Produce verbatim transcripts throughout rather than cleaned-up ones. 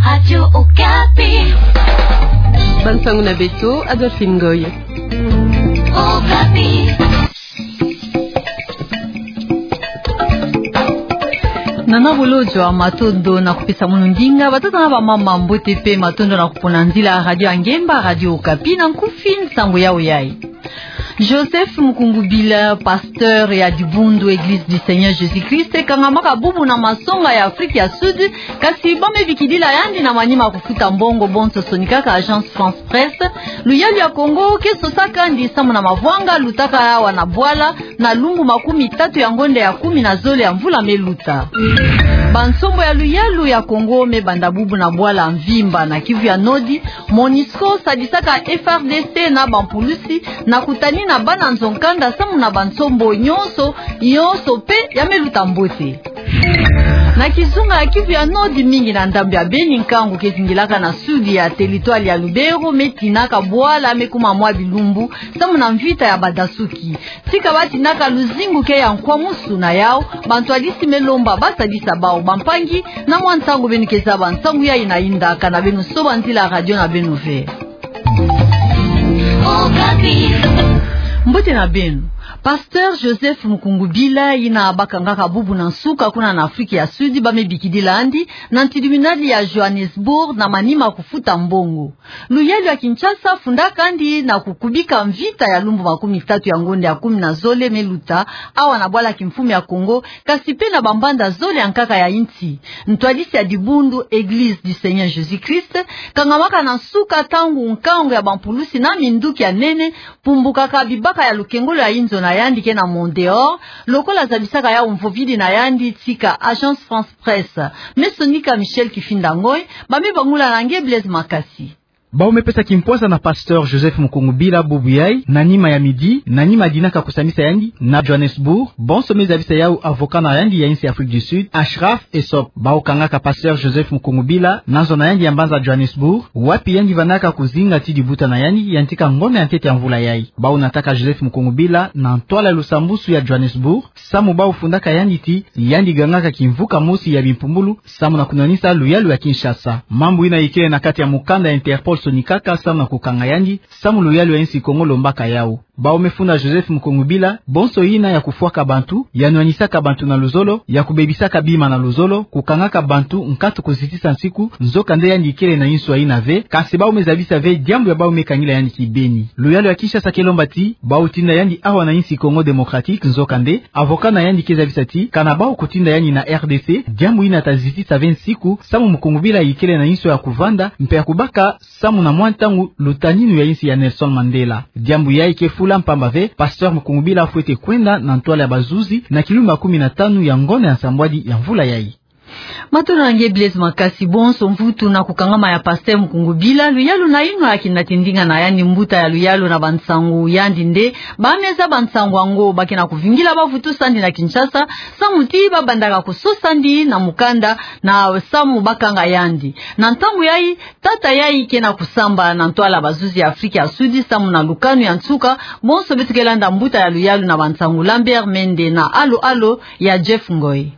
Radio Okapi. Bansangu na beto, Adolphine Ngoy. Okapi. Nana bolojo ya matondo na kupesa mono ndinga, batata na bamama, mbote pe matondo na kupona nzila Radio Ngemba, Radio Okapi, na nkufi nsangu yayo yayi. Joseph Mukungubila, pasteur ya dibundu Église du Seigneur Jésus-Christ, kangamaka bubu na masonga ya Afrique ya Sud, kasi ba me bikidila yandi na manima ya kufuta mbongo bonso sonikaka Agence France Presse. Luyalu ya Congo ke sosakandi samu na mavwanga lutaka awa na bwala na lumbu makumi tatu ya ngonda ya kumi na zole ya mvula me luta. Bansombo ya luyalu ya Congo me banda bubu na bwala mvimba na Kivu ya Nord. MONUSCO sadisaka F R D C na bampulusi na kutanina bana nzo-nkanda samu na bansombo nyonso, nyonso pe ya me luta mbote. Na kizunga ya Kivu ya Nord, mingi na ndambu ya Beni, nkangu ke zingilaka na sud ya territoire ya Lubero me tinaka bwala me kuma mwa bilumbu samu na mvita ya badasuki. Tika ba tinaka luzingu ke ya nkwamusu na yau, bantwadisi me lomba ba sadisa bau bampangi. Na mwa ntangu beno ke zaba nsangu yayi na yinda, kana beno soba nzila radio na beno ve. Mbote na beno. Pasteur Joseph Mukungubila, yina ba kangaka bubu na nsuka kuna na Afrique ya Sud, ba me bikidila yandi na tribunal ya Johannesburg na manima kufuta mbongo. Luyalu ya Kinshasa fundaka yandi na kukubika mvita ya lumbu makumi tatu ya ngonda ya kumi na zole me luta awa na bwala kimfumu ya Congo, kasi pe na bambanda zole ya nkaka ya insi. Ntwadisi ya dibundu Église du Seigneur Jésus-Christ kangamaka na nsuka ntangu nkangu ya bampulusi na minduki ya nene pumbukaka bibaka ya lukengolo ya inzo na yandi ke na Mont-Dore, lokola zabisaka yau mvovidi na yandi tika Agence France Presse. Me sonika Michel Kifinda Ngoy, ba me bangula na nge Blaise Makasi. Bau me pesa kimpwaza na pasteur Joseph Mukungubila bubu yayi, na nima ya midi, na nima dinaka kusambisa yandi na Johannesburg, bonso me zabisa yau avocat na yandi ya insi Afrique du Sud, Achraf Essop. Bau kangaka pasteur Joseph Mukungubila na nzo na yandi ya mbanza Johannesburg, wapi yandi vandaka kuzinga ti dibuta na yandi ya ntika ngombe ya ntete ya mvula yayi. Bau nataka Joseph Mukungubila na ntwala ya lusambusu ya Johannesburg, samu bau fundaka yandi ti yandi gangaka kimvuka mosi ya bimpumbulu, samu na kunwanisa luyalu ya Kinshasa. Mambu yina ikele na kati ya mukanda ya Interpol sonikaka samu na kukanga yandi, samu luyalu ya insi Congo lombaka yau. Bau me funda Joseph Mukungubila bonso yina ya kufwaka bantu, ya nwanisaka bantu na luzolo, ya kubebisaka bima na luzolo, kukangaka bantu nkatu kuzitisa nsiku, nzokande yandi ikele na inswa yina ve, kasi bau me zabisa ve diambu ya bau me kangila yandi kibeni. Luyalu ya Kinshasa ke lomba ti bau tinda yandi awa na insi Congo Démocratique, nzokande avocat na yandi ke zabisa ti kana bau kutinda yandi na R D C, diambu yina ta zitisa ve nsiku, samu Mukungubila ikele na inswa ya kuvanda mpe ya kubaka samu na mwa ntangu lutaninu ya insi ya Nelson Mandela. Diambu yayi ke fula mpamba ve pasteur Mukungubila fwete kwenda na ntwala ya bazuzi na kilumbu ya kumi na tanu ya ngonda ya nsambwadi ya mvula yayi. Matondo na nge Blaise Makasi. Bonso mvutu na kukangama ya pasteur Mukungubila, luyalu na yinwa ya kinatindinga na yandi mbuta ya luyalu na bansangu yandi nde ba me zaba nsangu yango. Ba ke na kuvingila bavutusi yandi na Kinshasa samu ti ba bandaka kusosa yandi na mukanda na samu ba kanga yandi. Na ntangu yayi, tata yayi ke na kusamba na ntwala bazuzi ya Afrique ya Sud samu na lukanu ya nsuka. Bonso beto ke landa mbuta ya luyalu na bansangu Lambert Mende na Alo Alo ya Jeff Ngoy.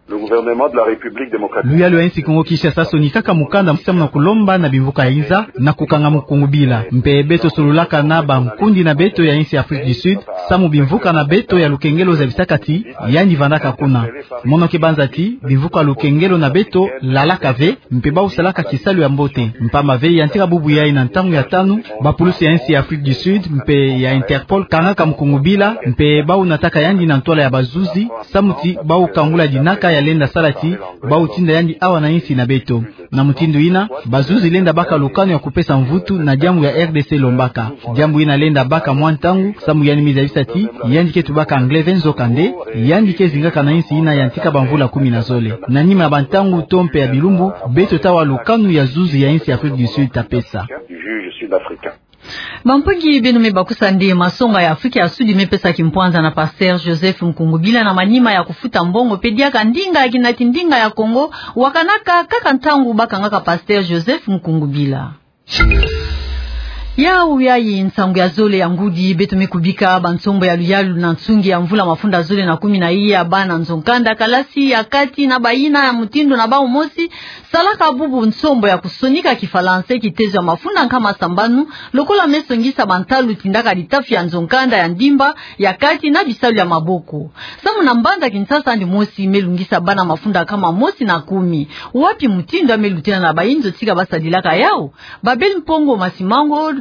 Le gouvernement de la République démocratique. Luyalu ya insi Congo Kinshasa sonikaka mukanda samu na kulomba na bimvuka ya inza na kukanga Mukungubila. Mpe beto sololaka na bankundi na beto ya insi Afrique du Sud, samu bimvuka na beto ya lukengelo zabisaka ti yandi vandaka kuna. Mono ke banza ti bimvuka lukengelo na beto lalaka ve, mpe bau salaka kisalu ya mbote. Mpamba ve ya ntika bubu yayi na ntangu ya tanu, bapulusi ya insi ya Afrique du Sud mpe ya Interpol kangaka Mukungubila, mpe bau nataka yandi na ntwala ya bazuzi, samu ti bau kangula dinaka ya lenda sala ti bau tinda yandi awa na insi na beto. Na mutindu yina, bazuzi lenda baka lukanu ya kupesa mvutu na diambu ya R D C lombaka. Diambu yina lenda baka mwa ntangu, samu yandi me zabisa ti yandi ke tubaka anglais ve, nzokande yandi ke zingaka na insi yina ya ntika bamvula kumi na zole. Na nima ya bantangu to mpe ya bilumbu, beto ta wa lukanu ya zuzi ya insi Afrique du Sud ta pesa. Bampangi, beno me bakusa nde masonga ya Afrique ya Sud me pesa kimpwanza na pasteur Joseph Mukungubila na manima ya kufuta mbongo mpe diaka ndinga ya kinatindinga ya Congo wakanaka kaka ntangu ba kangaka pasteur Joseph Mukungubila. Yawu yayi nsangu ya zole ya ngudi beto me kubika. Bansombo ya luyalu na nsungi ya mvula mafunda zole na kumi na iya, bana nzo-nkanda, kalasi ya kati na bayina ya mutindu na bawu mosi salaka bubu nsombo ya kusonika kifalanse, kitezo ya mafunda nkama sambanu, lokola me songisa bantalu tindaka litafi ya nzo-nkanda ya ndimba ya kati na bisalu ya maboko. Samu na mbanza Kinshasa yandi mosi me lungisa bana mafunda nkama mosi na kumi. Wapi mutindu ya me lutila na bayinzo tika basadilaka yawu? Babel Mpongo Masimango,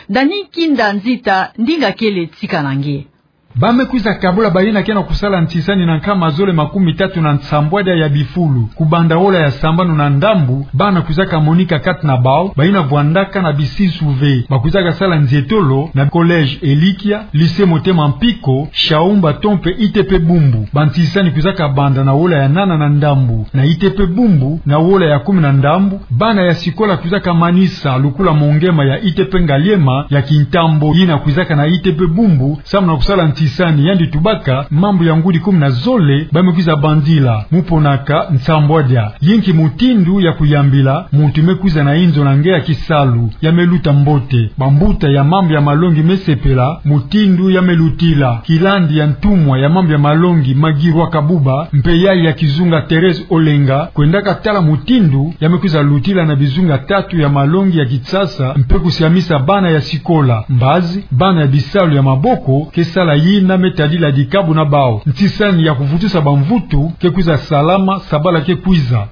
Dani Kinda Nzita, ndinga kele tika na nge. Ba me kwiza kabula bayina ke na kusala ntisani na nkama zole makumi tatu na nsambwadia ya bifulu. Kubanda wola ya sambanu na ndambu, bana kwizaka monika kati na bawu, bayina vwandaka na bisisu ve. Ba kwizaka sala nzietolo na collège Elikia, lycée Motema Mpiko, Shaumba to mpe I T P Bumbu. Bantisani kwizaka banda na wola ya nana na ndambu. Na I T P Bumbu, na wola ya kumi na ndambu, bana ya sikola kwizaka manisa lukula mongema ya I T P Ngaliema ya Kintambo yina kwizaka na I T P Bumbu, samu na kusala ntisani. Yandi tubaka mambu ya ngudi kumi na zole ba me kwiza bandila. Mu ponaka nsambwadia, yinki mutindu ya kuyambila muntu me kwiza na inzo na nge ya kisalu ya me luta mbote. Bambuta ya mambu ya malongi me sepela mutindu ya me lutila. Kilandi ya ntumwa ya mambu ya malongi, Maggie Rwakabuba, mpe yayi ya kizunga, Thérèse Olenga, kwendaka tala mutindu ya me kwiza lutila na bizunga tatu ya malongi ya Kinshasa, mpe kusiamisa bana ya sikola. Mbazi, bana ya bisalu ya maboko ke sala yina me tadila dikabu na bawu. Ntisani ya kuvutusa bamvutu ke kwiza salama sabala ke kwiza.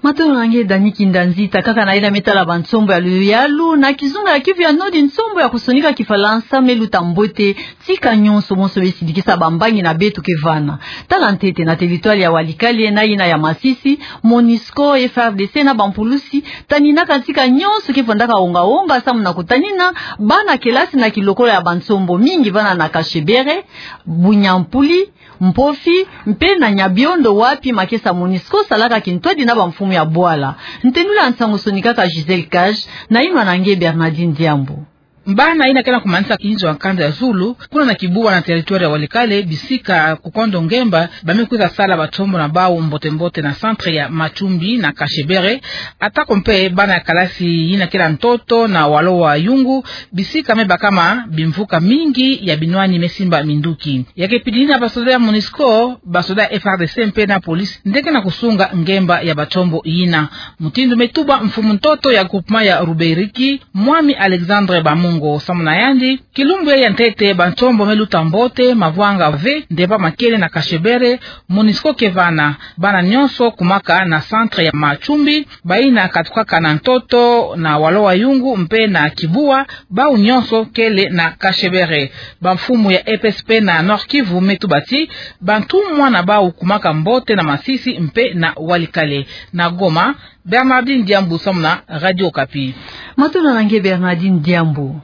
Matondo na nge Dani Kinda Nzita. Kaka na yina me tala bansombo ya luyalu, na kizunga ya Kivu ya Nord, nsombo ya kusonika kifalansa me luta mbote tika nyonso, monso be sidikisa bambangi na beto ke vana. Tala ntete, na territoire ya Walikale na yina ya Masisi, MONUSCO, F A R D C na bampulusi taninaka tika nyonso ke vwandaka wonga-wonga samu na kutanina bana kelasi na kilokola ya bansombo mingi vana na Kashebere, Bunyampuli, Mpofi, mpe na Nyabiondo, wapi makesa MONUSCO salaka kintwadi na bamfumu ya bwala. Ntendula nsangu sonikaka Gisèle Cage, nayinwa na nge Bernardine Diambu. Bana yina ke na kumanisa kinzo ya nkanda ya zulu, kuna na Kibuwa na territoire ya Walikale, bisika Kukondo Ngemba, ba me kwiza sala bansombo na bawu mbote-mbote na centre ya Matumbi na Kashebere, atako mpe bana ya kalasi yina ke na ntoto na Walowa-Yungu, bisika me bakama bimvuka mingi ya binwani me simba minduki. Ya ke pidini na basoda ya MONUSCO, basoda ya F A R D C mpe na police nde ke na kusunga ngemba ya bansombo yina. Mutindu me tuba mfumu ntoto ya groupement ya Ruberiki, Mwami Alexandre Bamungo, samu na yandi, kilumbu ya ntete bansombo me luta mbote, mavwanga ve, nde ba makele na Kashebere, MONUSCO ke vana. Bana nyonso kumaka na centre ya Matumbi, bayina katukaka na ntoto na Walowa-Yungu mpe na Kibuwa, bawu nyonso kele na Kashebere. Bamfumu ya E P S P na Nord-Kivu me tuba ti bantumwa na bawu kumaka mbote na Masisi mpe na Walikale. Na Goma, Bernardine Diambu samu na Radio Okapi. Matondo na nge Bernardine Diambu.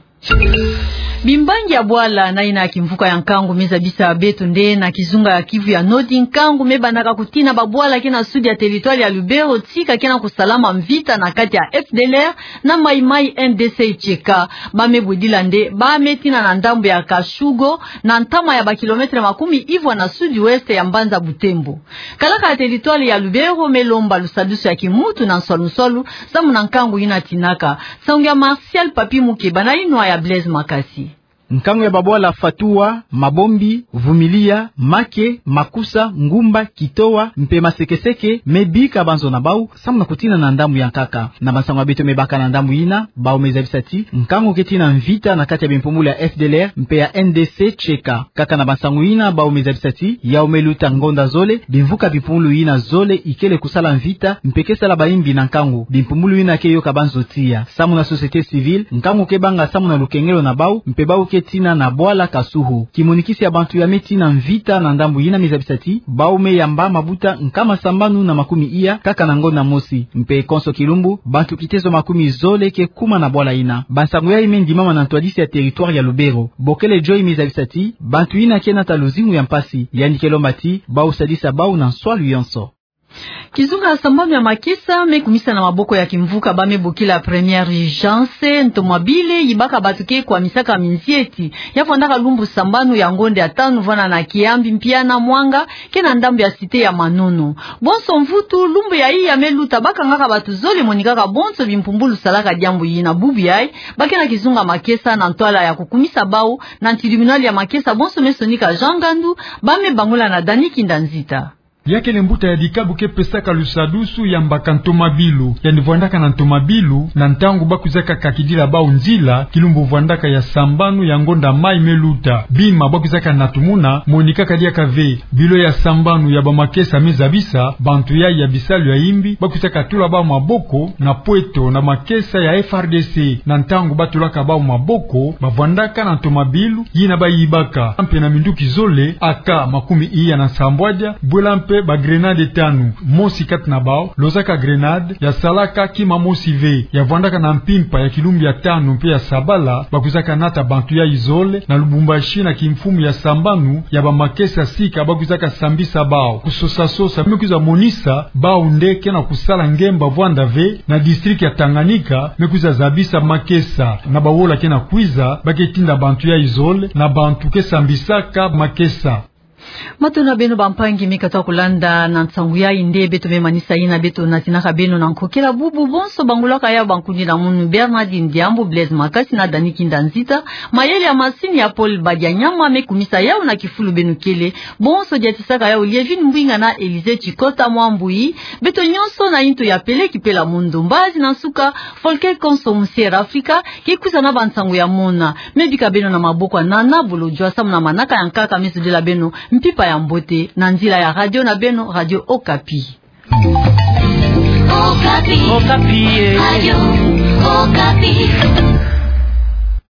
Bimbangi ya bwala na yina ya kimvuka ya nkangu me zabisa beto nde na kizunga ya Kivu ya Nord, nkangu me bandaka kutina babwala ke na sud ya territoire ya Lubero tika ke na kusalama mvita na kati ya F D L R na Mai-Mai N D C Y K. Ba me bwedila nde ba me tina na ndambu ya Kashugo, na ntama ya bakilometre makumi ivwa na sud-ouest ya mbanza Butembo. Kalaka ya territoire ya Lubero me lomba lusadusu ya kimuntu na nswalu-nswalu samu na nkangu yina tinaka. Nsangu ya Martial Papi Mukeba, nayinwa ya Blaise Makasi. Nkangu ya babwala Fatua, Mabombi, Vumilia, Make, Makusa, Ngumba, Kitoa, mpe Masekeseke me bika banzo na bawu samu na kutina na ndambu ya nkaka. Na bansangu ya beto me baka na ndambu yina, bawu me zabisa ti nkangu ke tina mvita na kati ya bimpumbulu ya F D L R mpe ya N D C Y K. Kaka na bansangu yina, bawu me zabisa ti yawu me luta ngonda zole, bimvuka bimpumbulu yina zole ikele kusala mvita, mpe ke sala bayimbi na nkangu. Bimpumbulu yina ke yoka banzo tiya. Samu na société civile, nkangu ke banga samu na lukengelo na bawu, mpe bawu ke tina na bwala Kasuhu. Kimonikisi ya bantu ya me tina mvita na ndambu yina me zabisa ti bawu me yamba mabuta nkama sambanu na makumi iya kaka na ngonda mosi. Mpe konso kilumbu, bantu kitezo makumi zole ke kuma na bwala yina. Bansangu yayi me ndimama na ntwadisi ya territoire ya Lubero. Bokele Joy me zabisa ti bantu yina ke nata luzingu ya mpasi, yandi ke lomba ti bawu sadisa bawu na nswalu yonso. Kizunga ya sambanu ya makesa me kumisa na maboko ya kimvuka ba me bokila première urgence, ntoma bile yibaka bato ke kwamisaka minzieti. Ya vwandaka lumbu sambanu ya ngonda ya tanu vwanda na Kiambi, Mpiana, Mwanga, ke na ndambu ya cité ya Manono. Bonso mvutu, lumbu ya iya me luta, bakangaka bato zole, monikaka bonso bimpumbulu salaka diambu yina. Bubu yayi, ba ke na kizunga makesa na ntwala ya kukumisa bawu na tribunal ya makesa bonso me sonika Jean Ngandu, ba me bangola na Dani Kinda Nzita. Ya kele mbuta ya dikabu ke pesaka lusadusu ya mbaka ntomabilu, yandi vwandaka na ntomabilu na ntangu ba kwizaka kakidila bawu nzila, kilumbu vwandaka ya sambanu ya ngonda mai me luta. Bima ba kwizaka natumuna, monikaka diaka ve. Bilo ya sambanu ya bamakesa me zabisa bantu yayi ya bisalu ya imbi, ba kwizaka tula bawu maboko na pweto na makesa ya F R D C. Na ntangu ba tulaka bawu maboko, ba vwandaka na ntomabilu yina ba yibaka mpe na minduki zole, A K makumi iya na nsambwadia, bwela mpe ba grenade tanu. Mosi kati na bawu lozaka grenade, ya salaka kima mosi ve, ya vwandaka na mpimpa ya kilumbu ya tanu mpe ya sabala. Ba kwizaka nata bantu yayi zole na Lubumbashi na kimfumu ya sambanu ya bamakesa sika ba kwizaka sambisa bawu. Kusosa-sosa me kwiza monisa bawu nde ke na kusala ngemba vwanda ve na district ya Tanganyika, me kwiza zabisa makesa. Na bawola ke na kwiza, ba ke tinda bantu yayi zole na bantu ke sambisaka makesa. Matondo na beno bampangi me katoa kulanda. Na nsangu yayi nde beto me manisa yina beto natinaka beno na nkokela. Bubu bonso bangolwaka yawu bankundi na munu: Bernardine Diambu, Blaise Makasi na Dani Kinda Nzita. Mayele ya masini ya Paul Badianyama me kumisa yawu na kifulu beno kele. Bonso diatisaka yawu Lievine Mbwinga na Elise Chikota Mwambuyi. Beto nyonso na yintu ya pele kipela mondo. Mbazi na nsuka, Volker Konso, Musier Afrika, ke kwiza na bansangu ya mona. Me bika beno na maboko ya Nana Bolodjwa samu na manaka ya nkaka me sudila beno mpimpa ya mbote na nzila ya radio na beno, Radio Okapi. Okapi. Okapi, eh. Radio Okapi.